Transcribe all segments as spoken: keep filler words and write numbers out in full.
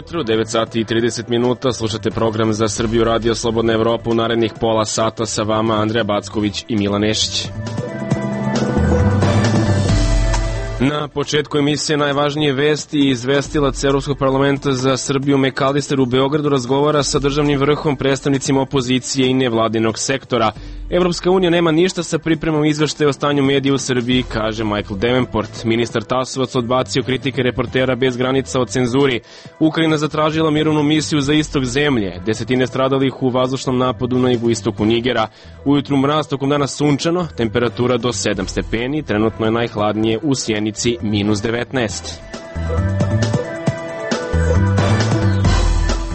ujutru, devet sati i trideset minuta, slušate program za Srbiju Radio Slobodna Evropa. U narednih pola sata sa vama Andreja Backović i Milan Nešić. Na početku emisije najvažnije vesti i izvestilac Evropskog parlamenta za Srbiju McAllister u Beogradu razgovara sa državnim vrhom, predstavnicima opozicije i nevladinog sektora. Evropska unija nema ništa sa pripremom izveštaja o stanju medija u Srbiji, kaže Michael Davenport. Ministar Tasovac odbacio kritike reportera bez granica o cenzuri. Ukrajina zatražila mirovnu misiju za istok zemlje. Desetine stradalih u vazdušnom napadu na jugoistoku Nigera. Ujutru mraz, tokom dana sunčano, temperatura do sedam stepeni, trenutno je najhladnije u Sjenici minus devetnaest.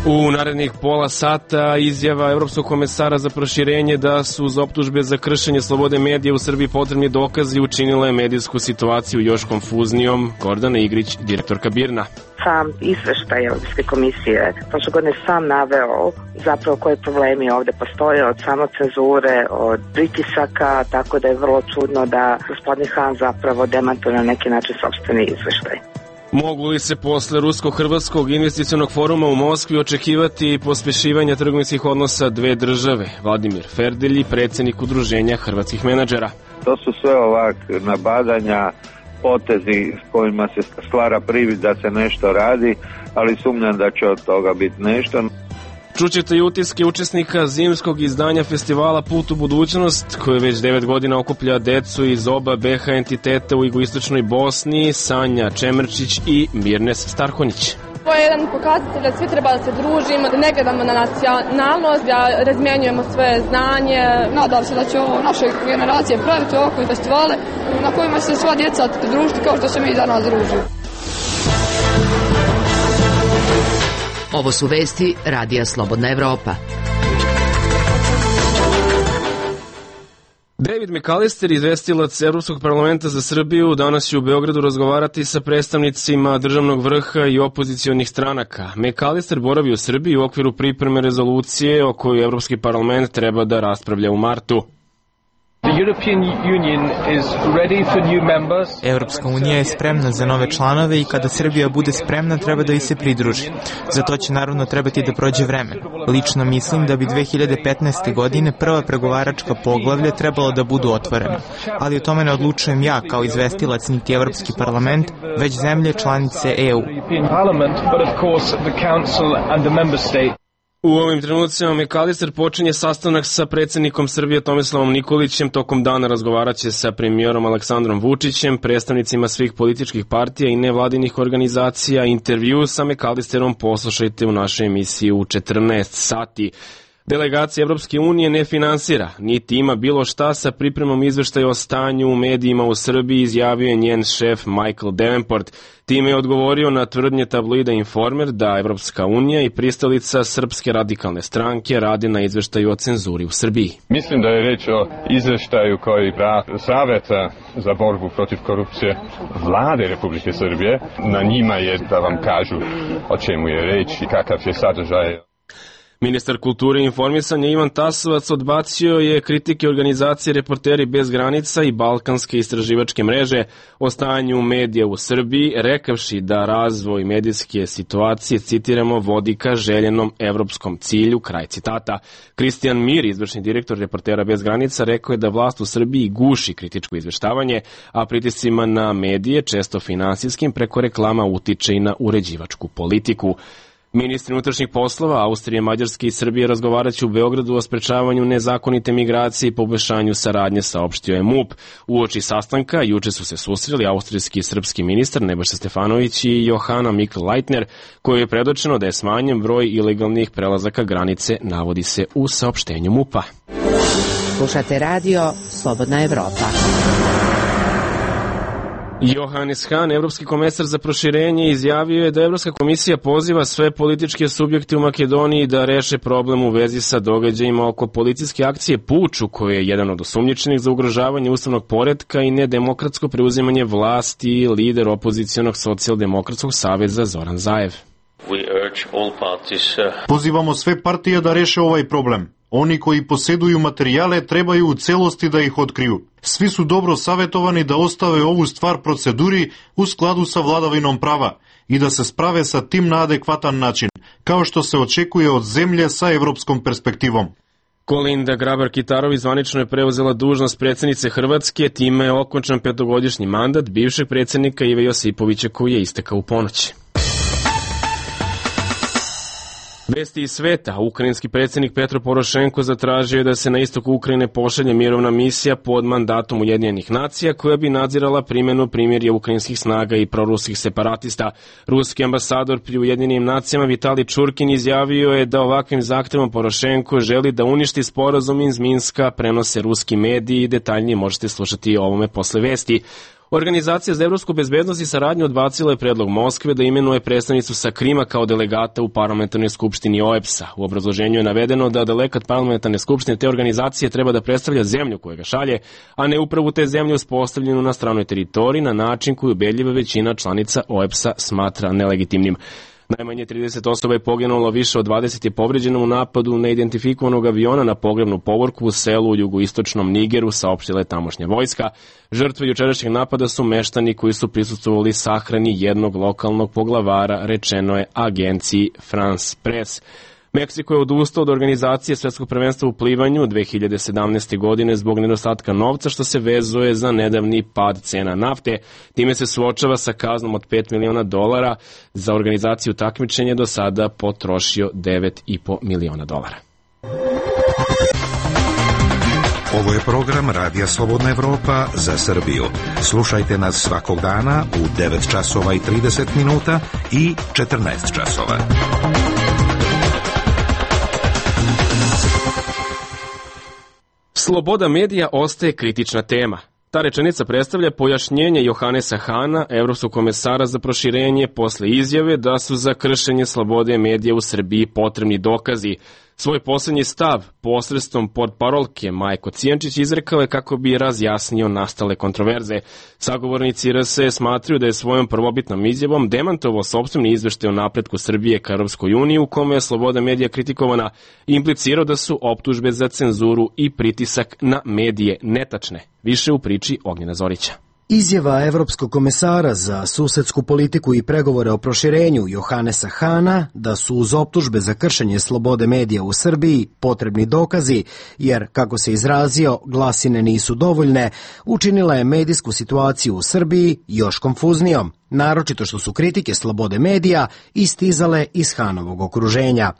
U narednih pola sata izjava Evropskog komesara za proširenje da su uz optužbe za kršenje slobode medija u Srbiji potrebni dokazi učinila je medijsku situaciju još konfuznijom. Gordana Igrić, direktorka BIRN-a. Sam izveštaj Evropske komisije prošle godine sam naveo zapravo koje problemi ovde postoje, od samocenzure, od pritisaka, tako da je vrlo čudno da gospodin Han zapravo demantuje na neki način sopstveni izveštaj. Mogu li se posle Rusko-Hrvatskog investicionog foruma u Moskvi očekivati pospešivanja trgovinskih odnosa dve države? Vladimir Ferdelji, predsjednik Udruženja hrvatskih menadžera. To su sve ovak nabadanja, potezi s kojima se stvara privid da se nešto radi, ali sumnjam da će od toga biti nešto. Čućete i utiske učesnika zimskog izdanja festivala Put u budućnost, koje već devet godina okuplja decu iz oba be ha entiteta u jugoistočnoj Bosni, Sanja Čemerčić i Mirnes Starhonić. To je jedan pokazatelj da svi treba da se družimo, da ne gledamo na nacionalnost, da razmjenjujemo svoje znanje. Nadam se da će ovo naše generacije praviti ovakve festivale na kojima se sva djeca družiti kao što se mi danas družimo. Ovo su vesti Radija Slobodna Evropa. David McAllister, izvestilac Evropskog parlamenta za Srbiju, danas će u Beogradu razgovarati sa predstavnicima državnog vrha i opozicionih stranaka. McAllister boravi u Srbiji u okviru pripreme rezolucije o kojoj Evropski parlament treba da raspravlja u martu. Evropska unija je spremna za nove članove i kada Srbija bude spremna treba da ih se pridruži. Za to će naravno trebati da prođe vreme. Lično mislim da bi dve hiljade petnaeste. godine prva pregovaračka poglavlja trebalo da budu otvorena. Ali o tome ne odlučujem ja kao izvestilac niti Evropski parlament, već zemlje članice e u. U ovim trenucima McAllister počinje sastanak sa predsjednikom Srbije Tomislavom Nikolićem. Tokom dana razgovaraće sa premijerom Aleksandrom Vučićem, predstavnicima svih političkih partija i nevladinih organizacija. Intervju sa McAllisterom poslušajte u našoj emisiji u četrnaest sati. Delegacija Evropske unije ne finansira, niti ima bilo šta sa pripremom izveštaja o stanju u medijima u Srbiji, izjavio je njen šef Michael Davenport. Time je odgovorio na tvrdnje tabloida Informer da Evropska unija i pristalica Srpske radikalne stranke radi na izveštaju o cenzuri u Srbiji. Mislim da je reč o izveštaju koji rad Saveta za borbu protiv korupcije vlade Republike Srbije. Na njima je da vam kažu o čemu je reč i kakav je sadržaj. Ministar kulture i informisanja Ivan Tasovac odbacio je kritike organizacije Reporteri bez granica i Balkanske istraživačke mreže o stanju medija u Srbiji, rekavši da razvoj medijske situacije, citiramo, vodi ka željenom evropskom cilju, kraj citata. Kristijan Mir, izvršni direktor Reportera bez granica, rekao je da vlast u Srbiji guši kritičko izveštavanje, a pritiscima na medije, često finansijskim, preko reklama utiče i na uređivačku politiku. Ministri unutrašnjih poslova Austrije, Mađarske i Srbije razgovaraće u Beogradu o sprečavanju nezakonite migracije i poboljšanju saradnje, saopštio je MUP. Uoči sastanka juče su se susreli austrijski i srpski ministar Nebojša Stefanović i Johana Mikl-Leitner, koji je predočeno da je smanjen broj ilegalnih prelazaka granice, navodi se u saopštenju MUP-a. Slušate radio Slobodna Evropa. Johannes Hahn, evropski komesar za proširenje, izjavio je da Evropska komisija poziva sve političke subjekte u Makedoniji da reše problem u vezi sa događajima oko policijske akcije Puč, u kojoj je jedan od osumnjičenih za ugrožavanje ustavnog poretka i nedemokratsko preuzimanje vlasti lider opozicionog socijaldemokratskog saveza Zoran Zaev. Pozivamo sve partije da reše ovaj problem. Oni koji posjeduju materijale trebaju u celosti da ih otkriju. Svi su dobro savjetovani da ostave ovu stvar proceduri u skladu sa vladavinom prava. i da se sprave sa tim na adekvatan način, kao što se očekuje od zemlje sa evropskom perspektivom. Kolinda Grabar-Kitarović zvanično je preuzela dužnost predsjednice Hrvatske, time je okončan petogodišnji mandat bivšeg predsjednika Ive Josipovića koji je istekao u ponoći. Vesti iz sveta. Ukrajinski predsjednik Petro Porošenko zatražio je da se na istoku Ukrajine pošalje mirovna misija pod mandatom Ujedinjenih nacija koja bi nadzirala primjenu primirja ukrajinskih snaga i proruskih separatista. Ruski ambasador pri Ujedinjenim nacijama Vitali Čurkin izjavio je da ovakvim zahtevom Porošenko želi da uništi sporazum iz Minska, prenose ruski mediji i detaljnije možete slušati o ovome posle vesti. Organizacija za evropsku bezbednost i saradnju odbacila je predlog Moskve da imenuje predstavnicu sa Krima kao delegata u parlamentarnoj skupštini O E B S-a. U obrazloženju je navedeno da delegat parlamentarne skupštine te organizacije treba da predstavlja zemlju koja ga šalje, a ne upravu te zemlje uspostavljenu na stranoj teritoriji na način koju ubedljiva većina članica O E B S-a smatra nelegitimnim. Najmanje trideset osoba je poginulo, više od dvadeset je povređeno u napadu neidentifikovanog aviona na pogrebnu povorku u selu u jugoistočnom Nigeru, saopštila je tamošnja vojska. Žrtve jučerašnjeg napada su meštani koji su prisustvovali sahrani jednog lokalnog poglavara, rečeno je agenciji France Press. Meksiko je odustao od organizacije Svetskog prvenstva u plivanju dve hiljade sedamnaeste. godine zbog nedostatka novca što se vezuje za nedavni pad cena nafte. Time se suočava sa kaznom od pet miliona dolara. Za organizaciju takmičenja do sada potrošio devet i po miliona dolara. Ovo je program Radija Slobodna Evropa za Srbiju. Slušajte nas svakog dana u devet časova i trideset minuta i četrnaest časova. Sloboda medija ostaje kritična tema. Ta rečenica predstavlja pojašnjenje Johanesa Hana, evropskog komesara za proširenje, posle izjave da su za kršenje slobode medija u Srbiji potrebni dokazi. Svoj poslednji stav posredstvom portparolke Majko Cijančić izrekao je kako bi razjasnio nastale kontroverze. Sagovornici R S smatraju da je svojom prvobitnom izjavom demantovao sopstveni izveštaj o napretku Srbije ka Europskoj uniji u kome je sloboda medija kritikovana i implicirao da su optužbe za cenzuru i pritisak na medije netačne. Više u priči Ognjena Zorića. Izjava evropskog komesara za susedsku politiku i pregovore o proširenju Johanesa Hana da su uz optužbe za kršenje slobode medija u Srbiji potrebni dokazi, jer, kako se izrazio, glasine nisu dovoljne, učinila je medijsku situaciju u Srbiji još konfuznijom, naročito što su kritike slobode medija istizale iz Hanovog okruženja.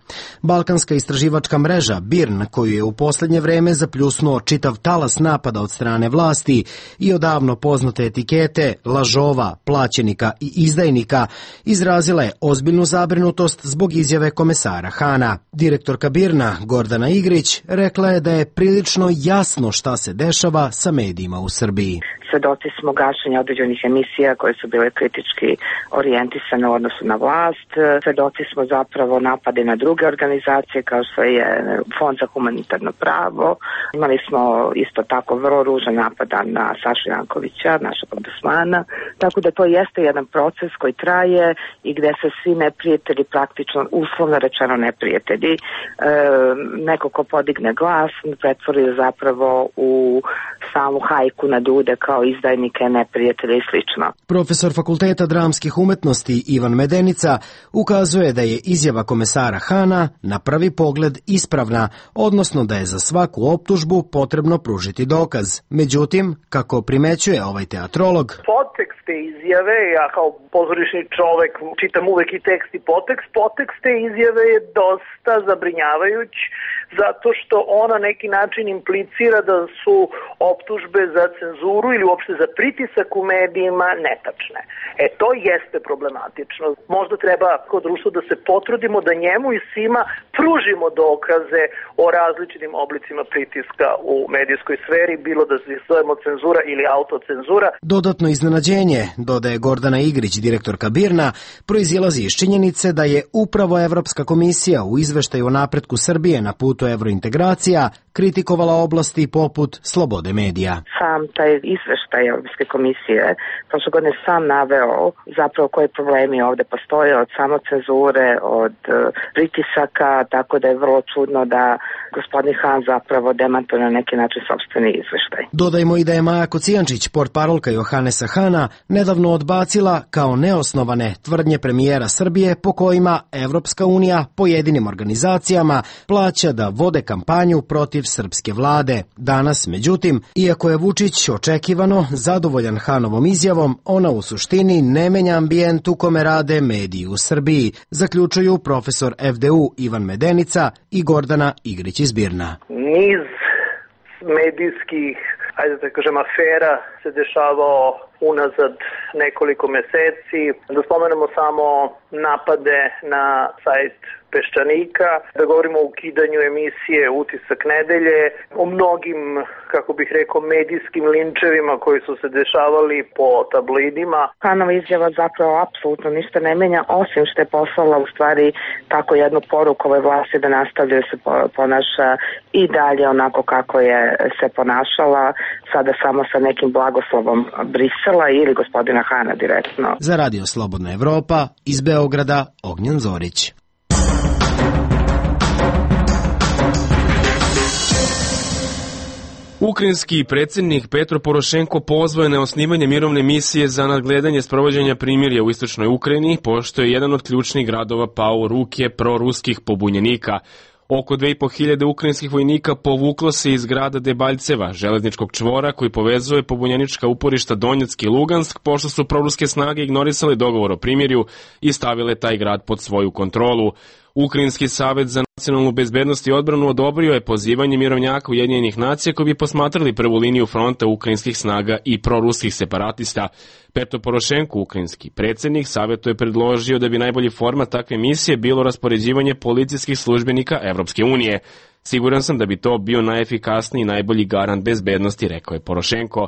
Balkanska istraživačka mreža B I R N, koju je u poslednje vreme zapljusnuo čitav talas napada od strane vlasti i odavno poznate etikete lažova, plaćenika i izdajnika, izrazila je ozbiljnu zabrinutost zbog izjave komesara Hana. Direktorka B I R N-a Gordana Igrić rekla je da je prilično jasno šta se dešava sa medijima u Srbiji. Svedoci smo gašenja određenih emisija koje su bile kritički orijentisane u odnosu na vlast. Svedoci smo zapravo napade na druge organizacije kao što je Fond za humanitarno pravo. Imali smo isto tako vrlo ružan napada na Sašu Jankovića, našeg ombudsmana. Tako da to jeste jedan proces koji traje i gde se svi neprijatelji, praktično uslovno rečeno neprijatelji, e, neko ko podigne glas pretvori zapravo u samu hajku na ljude kao izdajnike, neprijatelje i slično. Profesor Fakulteta dramskih umetnosti Ivan Medenica ukazuje da je izjava komesara Hana na prvi pogled ispravna, odnosno da je za svaku optužbu potrebno pružiti dokaz. Međutim, kako primećuje ovaj teatrolog, podtekst te izjave, ja kao pozorišni čovek čitam uvek i tekst i podtekst, podtekst te izjave je dosta zabrinjavajuć zato što ona neki način implicira da su optužbe za cenzuru ili uopšte za pritisak u medijima netačne. E, to jeste problematično. Možda treba kod društva da se potrudimo da njemu i svima pružimo dokaze o različitim oblicima pritiska u medijskoj sferi, bilo da se zovemo cenzura ili autocenzura. Dodatno iznenađenje, dodaje Gordana Igrić, direktorka B I R N-a, proizilazi iz činjenice da je upravo Evropska komisija u izveštaju o napretku Srbije na putu evrointegracija kritikovala oblasti poput slobode medija. Sam taj izveštaj Evropske komisije prošle godine sam naveo zapravo koji problemi ovde postoje od samocenzure, od uh, pritisaka, tako da je vrlo čudno da gospodin Han zapravo demantuje na neki način sopstveni izveštaj. Dodajmo i da je Maja Kocijančić, portparolka Johanesa Hana, nedavno odbacila kao neosnovane tvrdnje premijera Srbije po kojima Evropska unija pojedinim organizacijama plaća da vode kampanju protiv srpske vlade. Danas, međutim, iako je Vučić očekivano zadovoljan Hanovom izjavom, ona u suštini ne menja ambijent u kome rade mediji u Srbiji, zaključuju profesor F D U Ivan Medenica i Gordana Igrić iz Birna. Niz medijskih, ajde da kažem, afera se dešavao unazad nekoliko meseci. Da spomenemo samo napade na sajt Peščanika, da govorimo o ukidanju emisije Utisak nedelje, o mnogim, kako bih rekao, medijskim linčevima koji su se dešavali po tabloidima. Hanova izjava zapravo apsolutno ništa ne menja, osim što je poslala u stvari tako jednu poruku ovoj vlasti da nastavljaju se ponaša i dalje onako kako je se ponašala, sada samo sa nekim blagoslovom Brisela ili gospodina Hana direktno. Za Radio Slobodna Evropa iz Beograda Ognjen Zorić. Ukrajinski predsjednik Petro Porošenko pozvao je na osnivanje mirovne misije za nadgledanje sprovođenja primirja u istočnoj Ukrajini, pošto je jedan od ključnih gradova pao u ruke proruskih pobunjenika. Oko dve i po hiljade ukrajinskih vojnika povuklo se iz grada Debaljceva, železničkog čvora koji povezuje pobunjenička uporišta Donjeck i Lugansk, pošto su proruske snage ignorisale dogovor o primirju i stavile taj grad pod svoju kontrolu. Ukrajinski savet za nacionalnu bezbednost i odbranu odobrio je pozivanje mirovnjaka Ujedinjenih nacija koji bi posmatrali prvu liniju fronta ukrajinskih snaga i proruskih separatista. Petro Porošenko, ukrajinski predsjednik, savetu je predložio da bi najbolji format takve misije bilo raspoređivanje policijskih službenika Evropske unije. Siguran sam da bi to bio najefikasniji i najbolji garant bezbednosti, rekao je Porošenko.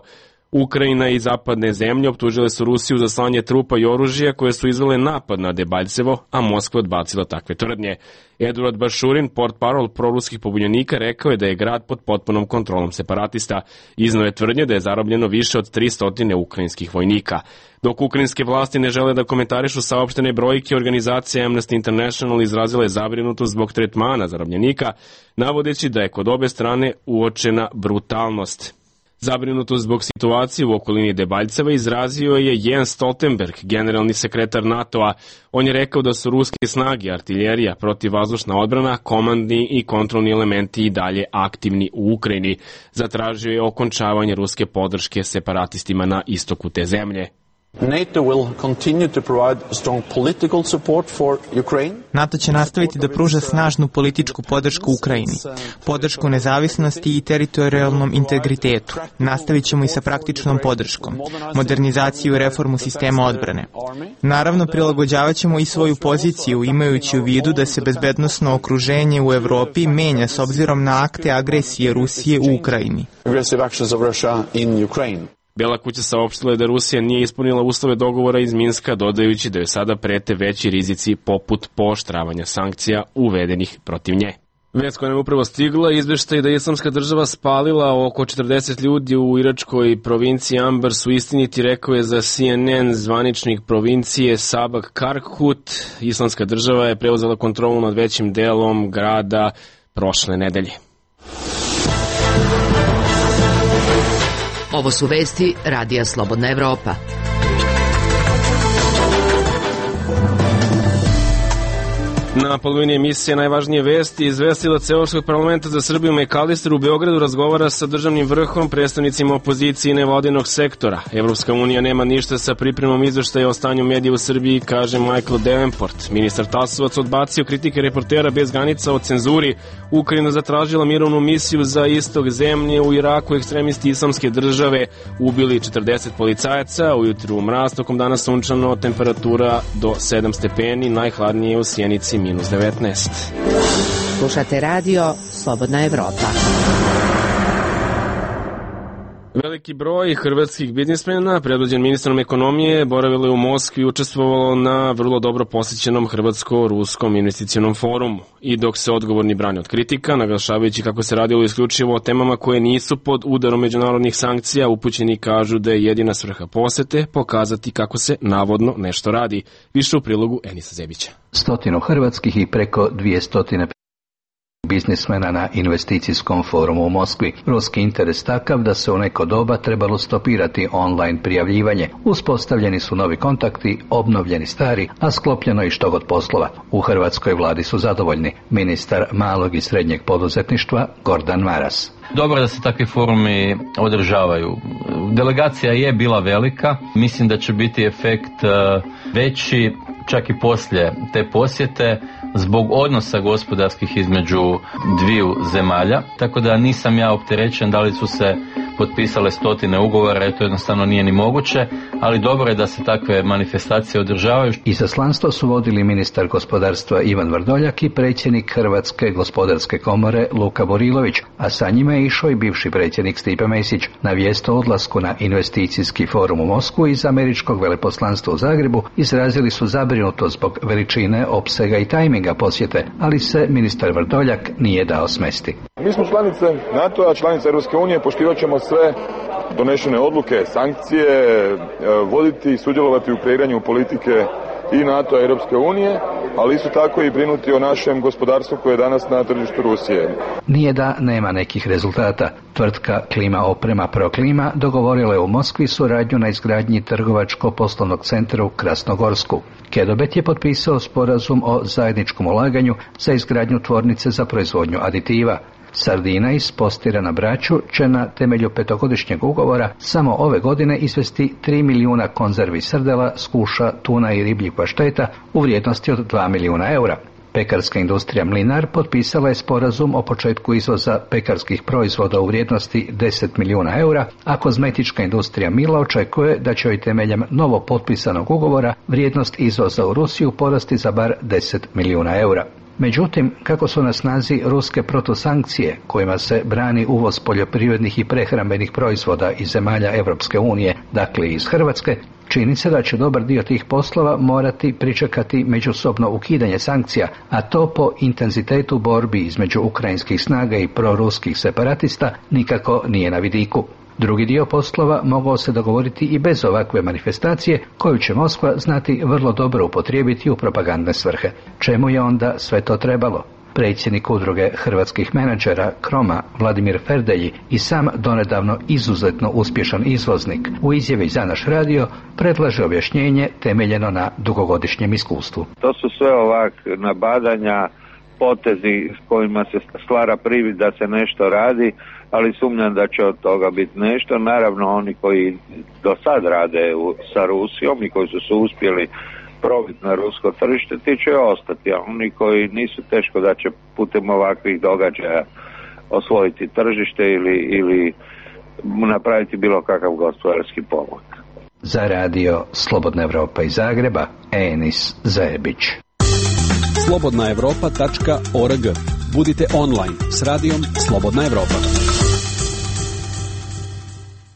Ukrajina i zapadne zemlje optužile su Rusiju za slanje trupa i oružja koje su izvele napad na Debaljcevo, a Moskva odbacila takve tvrdnje. Eduard Bašurin, portparol proruskih pobunjenika, rekao je da je grad pod potpunom kontrolom separatista. Iznao je tvrdnje da je zarobljeno više od tristo ukrajinskih vojnika. Dok ukrajinske vlasti ne žele da komentarišu saopštene brojke, organizacija Amnesty International izrazila je zabrinutost zbog tretmana zarobljenika, navodeći da je kod obe strane uočena brutalnost. Zabrinutost zbog situacije u okolini Debaljceva izrazio je Jens Stoltenberg, generalni sekretar NATO-a. On je rekao da su ruske snage, artiljerija, protivvazdušna odbrana, komandni i kontrolni elementi i dalje aktivni u Ukrajini. Zatražio je okončavanje ruske podrške separatistima na istoku te zemlje. NATO will continue to provide strong political support for Ukraine. NATO će nastaviti da pruža snažnu političku podršku Ukrajini, podršku nezavisnosti i teritorijalnom integritetu. Nastavit ćemo i sa praktičnom podrškom, modernizaciju i reformu sistema odbrane. Naravno, prilagođavat ćemo i svoju poziciju, imajući u vidu da se bezbednosno okruženje u Evropi menja s obzirom na akte agresije Rusije u Ukrajini. Aggressive actions of Russia in Ukraine. Bela kuća saopštila je da Rusija nije ispunila uslove dogovora iz Minska, dodajući da joj sada prete veći rizici poput pooštravanja sankcija uvedenih protiv nje. Vest koja nam je upravo stigla, izveštaj da je Islamska država spalila oko četrdeset ljudi u iračkoj provinciji Anbar su istiniti, rekao je za C N N zvaničnik provincije Sabak Karkut. Islamska država je preuzela kontrolu nad većim delom grada prošle nedelje. Ovo su vesti Radija Slobodna Evropa. Na polovini emisije najvažnije vesti izvestilac Evropskog parlamenta za Srbiju McAllister u Beogradu razgovara sa državnim vrhom, predstavnicima opozicije i nevladinog sektora. Evropska unija nema ništa sa pripremom izveštaja o stanju medija u Srbiji, kaže Michael Davenport. Ministar Tasovac odbacio kritike reportera bez granica o cenzuri. Ukrajina zatražila mirovnu misiju za istok zemlje. U Iraku ekstremisti Islamske države ubili četrdeset policajaca. Ujutru mraz, tokom dana sunčano, temperatura do sedam stepeni, najhladnije u Sjenici minus devetnaest. Slušate radio Slobodna Evropa. Veliki broj hrvatskih biznismena, predvođen ministrom ekonomije, boravilo je u Moskvi i učestvovalo na vrlo dobro posjećenom Hrvatsko-ruskom investicionom forumu. I dok se odgovorni brane od kritika, naglašavajući kako se radilo isključivo o temama koje nisu pod udarom međunarodnih sankcija, upućeni kažu da je jedina svrha posete pokazati kako se navodno nešto radi. Više u prilogu Enisa Zebića. Stotinu hrvatskih i preko dvije stotine biznismena na investicijskom forumu u Moskvi. Ruski interes takav da se u neko doba trebalo stopirati online prijavljivanje. Uspostavljeni su novi kontakti, obnovljeni stari, a sklopljeno i što god poslova. U hrvatskoj vladi su zadovoljni. Ministar malog i srednjeg poduzetništva Gordan Maras. Dobro da se takvi forumi održavaju. Delegacija je bila velika, mislim da će biti efekt veći čak i poslije te posjete zbog odnosa gospodarskih između dviju zemalja, tako da nisam ja opterećen da li su se potpisale stotine ugovora, jer to jednostavno nije ni moguće, ali dobro je da se takve manifestacije održavaju. Izaslanstvo su vodili ministar gospodarstva Ivan Vrdoljak i predsjednik Hrvatske gospodarske komore Luka Burilović, a sa njima je išao i bivši predsjednik Stipe Mesić. Na vijest o odlasku na investicijski forum u Moskvu iz američkog veleposlanstva u Zagrebu izrazili su zabrinutost zbog veličine, opsega i tajminga posjete, ali se ministar Vrdoljak nije dao smesti. Mi smo članice NATO-a, članice Europske unije, poštivat ćemo sve donešene odluke, sankcije, voditi i sudjelovati u kreiranju politike i NATO-a i Europske unije, ali isto tako i brinuti o našem gospodarstvu koje je danas na tržištu Rusije. Nije da nema nekih rezultata. Tvrtka Klima oprema Proklima dogovorila je u Moskvi suradnju na izgradnji trgovačko-poslovnog centra u Krasnogorsku. Kedobet je potpisao sporazum o zajedničkom ulaganju za izgradnju tvornice za proizvodnju aditiva. Sardina iz Postira na Braču će na temelju petogodišnjeg ugovora samo ove godine izvesti tri milijuna konzervi srdela, skuša, tuna i ribljih pašteta u vrijednosti od dva milijuna eura. Pekarska industrija Mlinar potpisala je sporazum o početku izvoza pekarskih proizvoda u vrijednosti deset milijuna eura, a kozmetička industrija Mila očekuje da će joj temeljem novo potpisanog ugovora vrijednost izvoza u Rusiju porasti za bar deset milijuna eura. Međutim, kako su na snazi ruske protusankcije kojima se brani uvoz poljoprivrednih i prehrambenih proizvoda iz zemalja Europske unije, dakle iz Hrvatske, čini se da će dobar dio tih poslova morati pričekati međusobno ukidanje sankcija, a to po intenzitetu borbi između ukrajinskih snaga i proruskih separatista nikako nije na vidiku. Drugi dio poslova mogao se dogovoriti i bez ovakve manifestacije, koju će Moskva znati vrlo dobro upotrijebiti u propagandne svrhe. Čemu je onda sve to trebalo? Predsjednik udruge hrvatskih menadžera Kroma Vladimir Ferdelji i sam donedavno izuzetno uspješan izvoznik u izjavi za naš radio predlaže objašnjenje temeljeno na dugogodišnjem iskustvu. To su sve ovak nabadanja, potezi s kojima se stvara privid da se nešto radi, ali sumnjam da će od toga biti nešto. Naravno, oni koji do sad rade u, sa Rusijom i koji su se uspjeli probiti na rusko tržište, ti će ostati, a oni koji nisu, teško da će putem ovakvih događaja osvojiti tržište ili, ili napraviti bilo kakav gospodarski pomak. Za radio Slobodna Evropa iz Zagreba, Enis Zebić. slobodna evropa tačka org. Budite online s radijom Slobodna Evropa.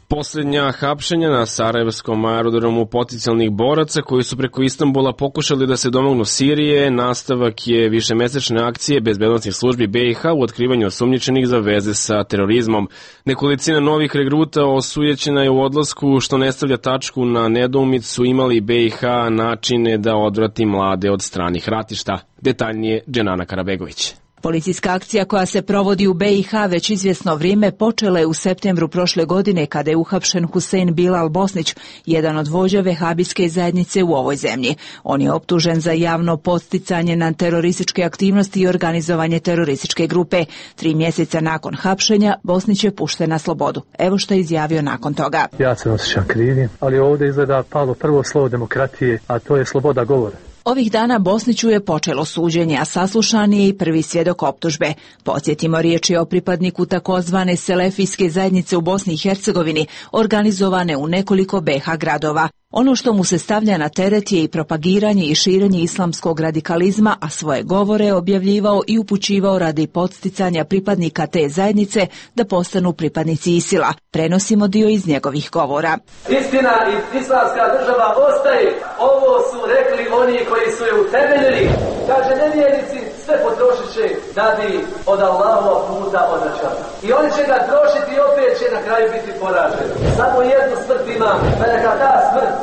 Posljednja hapšenja na sarajevskom aerodromu potencijalnih boraca koji su preko Istanbula pokušali da se domognu Sirije, nastavak je višemesečne akcije bezbednosnih službi B i H u otkrivanju osumnjičenih za veze sa terorizmom. Nekolicina novih regruta osujećena je u odlasku, što ne stavlja tačku na nedoumicu imali B i H načine da odvrati mlade od stranih ratišta. Detaljnije Dženana Karabegović. Policijska akcija koja se provodi u B i H već izvjesno vrijeme počela je u septembru prošle godine kada je uhapšen Husein Bilal Bosnić, jedan od vođa vehabijske zajednice u ovoj zemlji. On je optužen za javno podsticanje na terorističke aktivnosti i organizovanje terorističke grupe. Tri mjeseca nakon hapšenja Bosnić je pušten na slobodu. Evo što je izjavio nakon toga. Ja se osjećam krivim, ali ovdje izgleda palo prvo slovo demokratije, a to je sloboda govora. Ovih dana Bosniću je počelo suđenje, a saslušan je i prvi svjedok optužbe. Podsjetimo, riječ je o pripadniku takozvane selefijske zajednice u Bosni i Hercegovini, organizovane u nekoliko B i H gradova. Ono što mu se stavlja na teret je i propagiranje i širenje islamskog radikalizma, a svoje govore je objavljivao i upućivao radi podsticanja pripadnika te zajednice da postanu pripadnici Isila. Prenosimo dio iz njegovih govora. Istina i islamska država ostaje. Ovo su rekli oni koji su je utemeljili. Kaže, nevjernici sve potrošit će da bi od Allahova puta odvraćali. I oni će ga trošiti i opet će na kraju biti poraženi. Samo jednu smrt ima, da neka ta smrt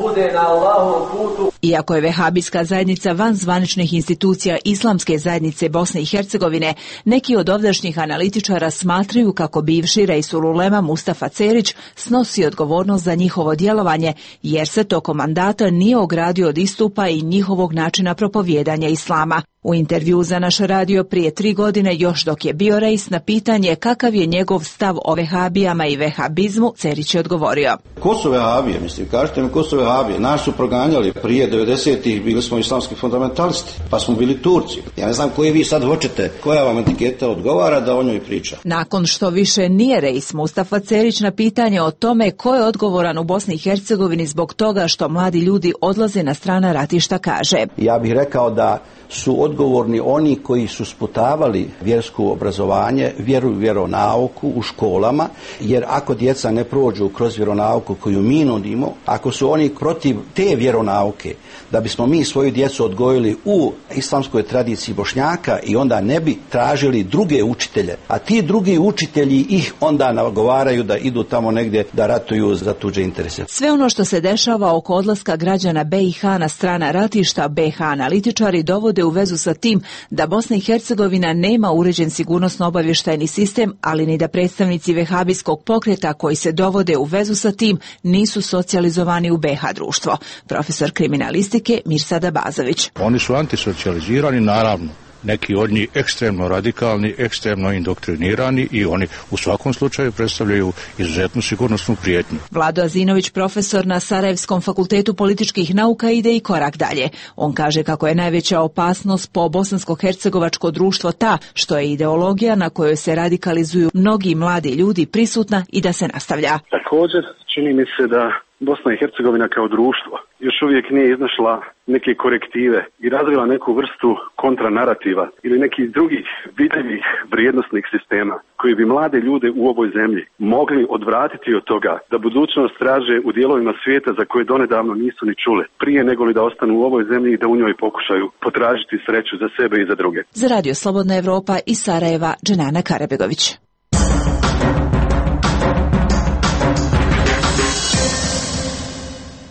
bude na Allahovom putu. Iako je vehabijska zajednica van zvaničnih institucija Islamske zajednice Bosne i Hercegovine, neki od ovdašnjih analitičara smatraju kako bivši Reisul Ulema Mustafa Cerić snosi odgovornost za njihovo djelovanje, jer se tokom mandata nije ogradio od istupa i njihovog načina propovijedanja islama. U intervju za naš radio prije tri godine, još dok je bio reis, na pitanje kakav je njegov stav o vehabijama i vehabizmu, Cerić je odgovorio. Ko su vehabije, mislim, kažete mi ko su vehabije? Nas su proganjali prije devedesetih, bili smo islamski fundamentalisti, pa smo bili Turci. Ja ne znam koji vi sad hoćete, koja vam etiketa odgovara da o njoj priča. Nakon što više nije reis, Mustafa Cerić na pitanje o tome ko je odgovoran u Bosni i Hercegovini zbog toga što mladi ljudi odlaze na strana ratišta kaže. Ja bih rekao da su odgovorni oni koji su sputavali vjersko obrazovanje, vjeru i vjeronauku u školama, jer ako djeca ne prođu kroz vjeronauku koju mi nudimo, ako su oni protiv te vjeronauke, da bismo mi svoju djecu odgojili u islamskoj tradiciji Bošnjaka i onda ne bi tražili druge učitelje, a ti drugi učitelji ih onda nagovaraju da idu tamo negdje da ratuju za tuđe interese. Sve ono što se dešava oko odlaska građana B i H na strana ratišta, B i H analitičari dovode u vezu sa tim da Bosna i Hercegovina nema uređen sigurnosno-obavještajni sistem, ali ni da predstavnici vehabijskog pokreta koji se dovode u vezu sa tim nisu socijalizovani u B i H društvo. Profesor kriminalistike Mirsada Bazović. Oni su antisocijalizirani, naravno. Neki od njih ekstremno radikalni, ekstremno indoktrinirani i oni u svakom slučaju predstavljaju izuzetnu sigurnosnu prijetnju. Vlado Azinović, profesor na Sarajevskom fakultetu političkih nauka, ide i korak dalje. On kaže kako je najveća opasnost po bosansko-hercegovačko društvo ta što je ideologija na kojoj se radikalizuju mnogi mladi ljudi prisutna i da se nastavlja. Također, čini mi se da Bosna i Hercegovina kao društvo još uvijek nije iznašla neke korektive i razvila neku vrstu kontranarativa ili nekih drugih vidljivih vrijednosnih sistema koji bi mlade ljude u ovoj zemlji mogli odvratiti od toga da budućnost traže u dijelovima svijeta za koje donedavno nisu ni čule, prije nego li da ostanu u ovoj zemlji i da u njoj pokušaju potražiti sreću za sebe i za druge. Za Radio Slobodna Evropa iz Sarajeva, Dženana Karabegović.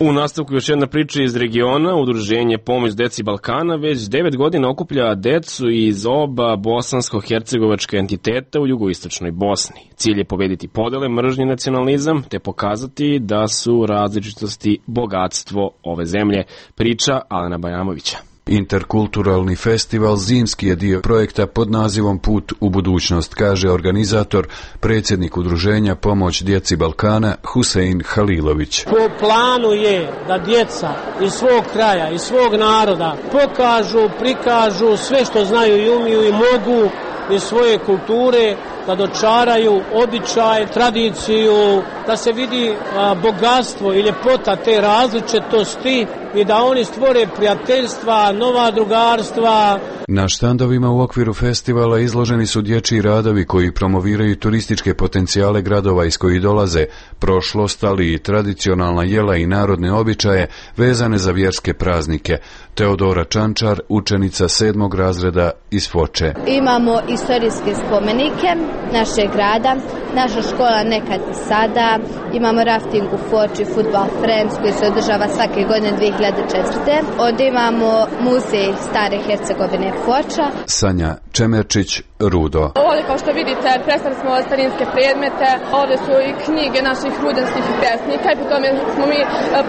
U nastavku još jedna priča iz regiona. Udruženje Pomoć deci Balkana već devet godina okuplja decu iz oba bosansko-hercegovačka entiteta u jugoistočnoj Bosni. Cilj je pobediti podele, mržnje, nacionalizam, te pokazati da su različitosti bogatstvo ove zemlje. Priča Alena Bajamovića. Interkulturalni festival zimski je dio projekta pod nazivom Put u budućnost, kaže organizator, predsjednik udruženja Pomoć djeci Balkana Husein Halilović. Po planu je da djeca iz svog kraja, iz svog naroda pokažu, prikažu sve što znaju i umiju i mogu iz svoje kulture, da dočaraju običaj, tradiciju, da se vidi a, bogatstvo i ljepota te različitosti i da oni stvore prijateljstva, nova drugarstva. Na štandovima u okviru festivala izloženi su dječji radovi koji promoviraju turističke potencijale gradova iz kojih dolaze, prošlost, ali i tradicionalna jela i narodne običaje vezane za vjerske praznike. Teodora Čančar, učenica sedmog razreda iz Foče. Imamo istorijske spomenike našeg grada, naša škola nekad i sada, imamo rafting u Foči, Football Friends koji se održava svake godine dvije hiljade četvrte. Onda imamo muzej Stare Hercegovine Foča. Sanja Čemerčić, Rudo. Ovdje kao što vidite predstavili smo starinske predmete, ovdje su i knjige naših rudanskih pjesnika i po tome smo mi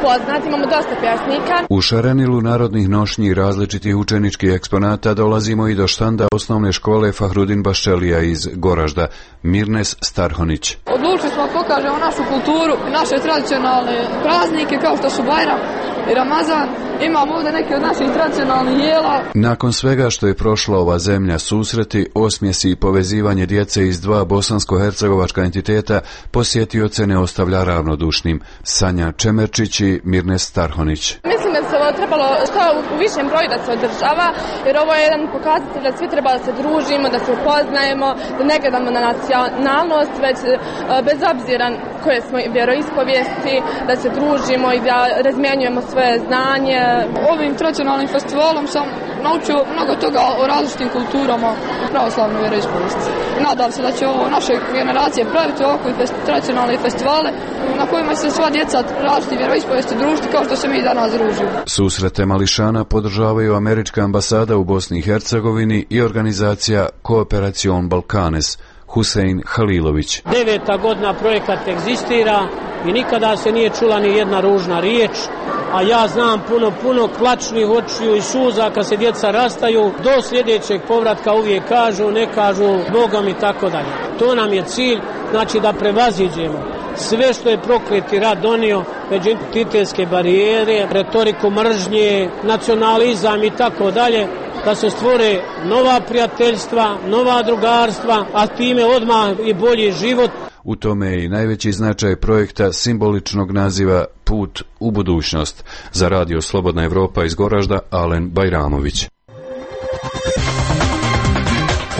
poznati, imamo dosta pjesnika. U šarenilu narodnih nošnji i različitih učeničkih eksponata dolazimo i do štanda osnovne škole Fahrudin Baščelija iz Goražda, Mirnes Starhonić. Odlučili smo da pokažemo našu kulturu, naše tradicionalne praznike kao što su Bajram i Ramazan. Imamo ovdje neke od naših tradicionalnih jela. Nakon svega što je prošla ova zemlja, susreti, osmjesi i povezivanje djece iz dva bosansko-hercegovačka entiteta posjetioce ne ostavlja ravnodušnim. Sanja Čemerčić i Mirnes Starhonić. Mislim da se ovo trebalo što u višem broju da se održava, jer ovo je jedan pokazatelj da svi treba da se družimo, da se upoznajemo, da ne gledamo na nacionalnost, već bez obzira koje smo vjeroispovijesti, da se družimo i da razmjenjujemo svoje znanje. Ovim tradicionalnim festivalom sam naučio mnogo toga o različitim kulturama i pravoslavnoj vjeroispovijesti. Nadam se da će ovo naše generacije praviti ovakve tradicionalne festivale na kojima se sva djeca različitih vjeroispovijesti družiti kao što se mi danas družimo. Susrete mališana podržavaju američka ambasada u Bosni i Hercegovini i organizacija Kooperacion Balkanes. Husein Halilović. Deveta godina projekat egzistira i nikada se nije čula ni jedna ružna riječ, a ja znam puno, puno plačnih očiju i suza kad se djeca rastaju, do sljedećeg povratka uvijek kažu, ne kažu Bogom i tako dalje. To nam je cilj, znači da prevaziđemo sve što je prokleti rat donio, međuentitetske barijere, retoriku mržnje, nacionalizam i tako dalje, da se stvore nova prijateljstva, nova drugarstva, a time odmah i bolji život. U tome je i najveći značaj projekta simboličnog naziva Put u budućnost. Za Radio Slobodna Evropa iz Goražda, Alen Bajramović.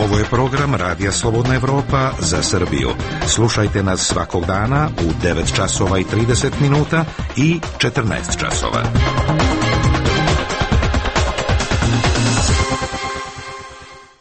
Ovo je program Radija Slobodna Evropa za Srbiju. Slušajte nas svakog dana u devet časova i trideset minuta i četrnaest časova.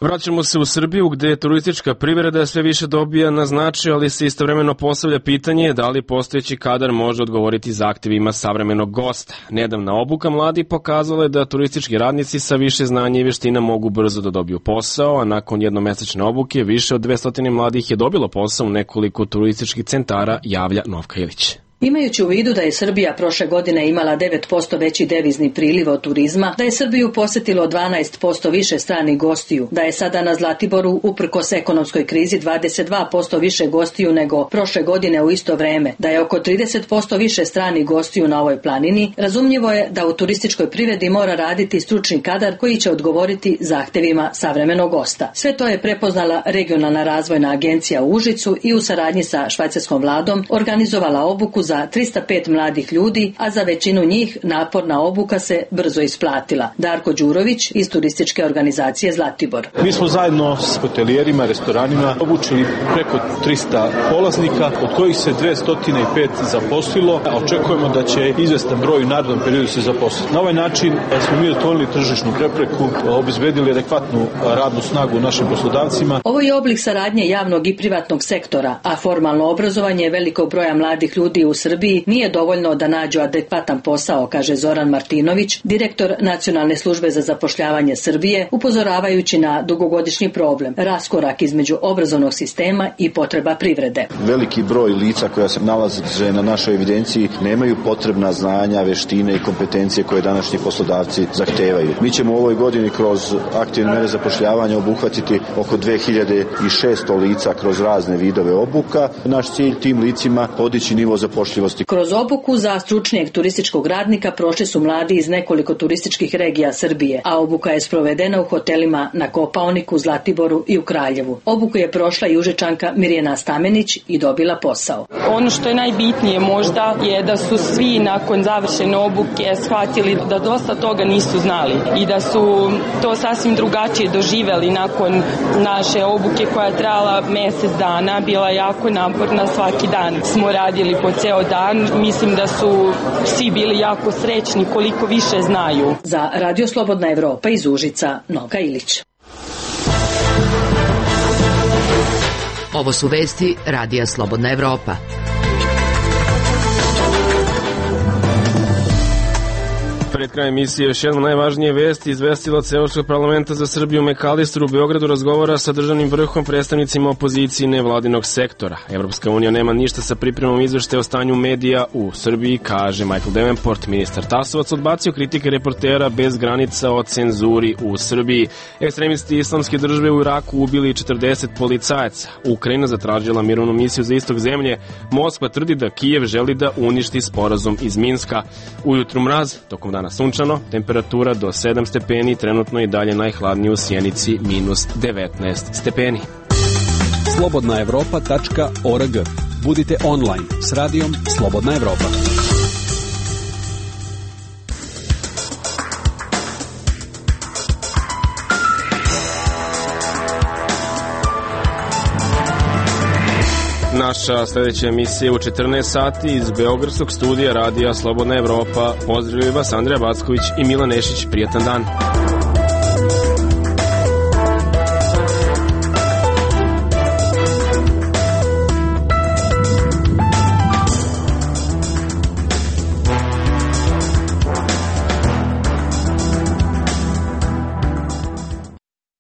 Vraćamo se u Srbiju gdje turistička privreda sve više dobija na značaju, ali se istovremeno postavlja pitanje da li postojeći kadar može odgovoriti zahtjevima savremenog gosta. Nedavna obuka mladih pokazala je da turistički radnici sa više znanja i vještina mogu brzo da dobiju posao, a nakon jednomesečne obuke više od dvesta mladih je dobilo posao u nekoliko turističkih centara, javlja Novka Ilić. Imajući u vidu da je Srbija prošle godine imala devet posto veći devizni priliv od turizma, da je Srbiju posjetilo dvanaest posto više stranih gostiju, da je sada na Zlatiboru uprkos ekonomskoj krizi dvadeset dva posto više gostiju nego prošle godine u isto vreme, da je oko trideset posto više stranih gostiju na ovoj planini, razumljivo je da u turističkoj privredi mora raditi stručni kadar koji će odgovoriti zahtjevima savremenog gosta. Sve to je prepoznala Regionalna razvojna agencija u Užicu i u saradnji sa švajcarskom vladom organizovala obuku za trista pet mladih ljudi, a za većinu njih naporna obuka se brzo isplatila. Darko Đurović iz turističke organizacije Zlatibor. Mi smo zajedno s hotelijerima, restoranima obučili preko trista polaznika, od kojih se dvesta pet zaposlilo, a očekujemo da će izvestan broj u narednom periodu se zaposliti. Na ovaj način smo mi otvorili tržišnu prepreku, obezbedili adekvatnu radnu snagu našim poslodavcima. Ovo je oblik saradnje javnog i privatnog sektora, a formalno obrazovanje velikog broja mladih ljudi u Srbiji nije dovoljno da nađu adekvatan posao, kaže Zoran Martinović, direktor Nacionalne službe za zapošljavanje Srbije, upozoravajući na dugogodišnji problem, raskorak između obrazovnog sistema i potreba privrede. Veliki broj lica koja se nalaze na našoj evidenciji nemaju potrebna znanja, veštine i kompetencije koje današnji poslodavci zahtevaju. Mi ćemo u ovoj godini kroz aktivne mere zapošljavanja obuhvatiti oko dve hiljade šesto lica kroz razne vidove obuka. Naš cilj tim licima podići nivo zapošljivosti. Kroz obuku za stručnijeg turističkog radnika prošli su mladi iz nekoliko turističkih regija Srbije, a obuka je sprovedena u hotelima na Kopaoniku, Zlatiboru i u Kraljevu. Obuku je prošla i Užičanka Mirjana Stamenić i dobila posao. Ono što je najbitnije možda je da su svi nakon završene obuke shvatili da dosta toga nisu znali i da su to sasvim drugačije doživjeli nakon naše obuke koja je trajala mjesec dana, bila jako naporna, svaki dan smo radili po ceo dan. Mislim da su svi bili jako srećni koliko više znaju. Za Radio Slobodna Evropa iz Užica, Novka Ilić. Ovo su vesti Radija Slobodna Evropa. Pred krajem emisije još jedno najvažnije vesti. Izvestilac Evropskog parlamenta za Srbiju McAllister u Beogradu razgovara sa državnim vrhom, predstavnicima opozicije i nevladinog sektora. Evropska unija nema ništa sa pripremom izveštaja o stanju medija u Srbiji, kaže Michael Davenport. Ministar Tasovac odbacio kritike reportera bez granica o cenzuri u Srbiji. Ekstremisti islamske države u Iraku ubili četrdeset policajaca. Ukrajina zatražila mirovnu misiju za istok zemlje. Moskva tvrdi da Kijev želi da uništi sporazum iz Minska. Ujutru mraz, tokom dana dana sunčano, temperatura do sedam stepeni, trenutno i dalje najhladnije u Sjenici minus devetnaest stepeni. slobodna evropa tačka org. Budite online s radijom Slobodna Evropa. Naša sljedeća emisija u četrnaest sati iz Beogradskog studija radija Slobodna Evropa. Pozdravljaju vas Andreja Backović i Milan Nešić. Prijetan dan.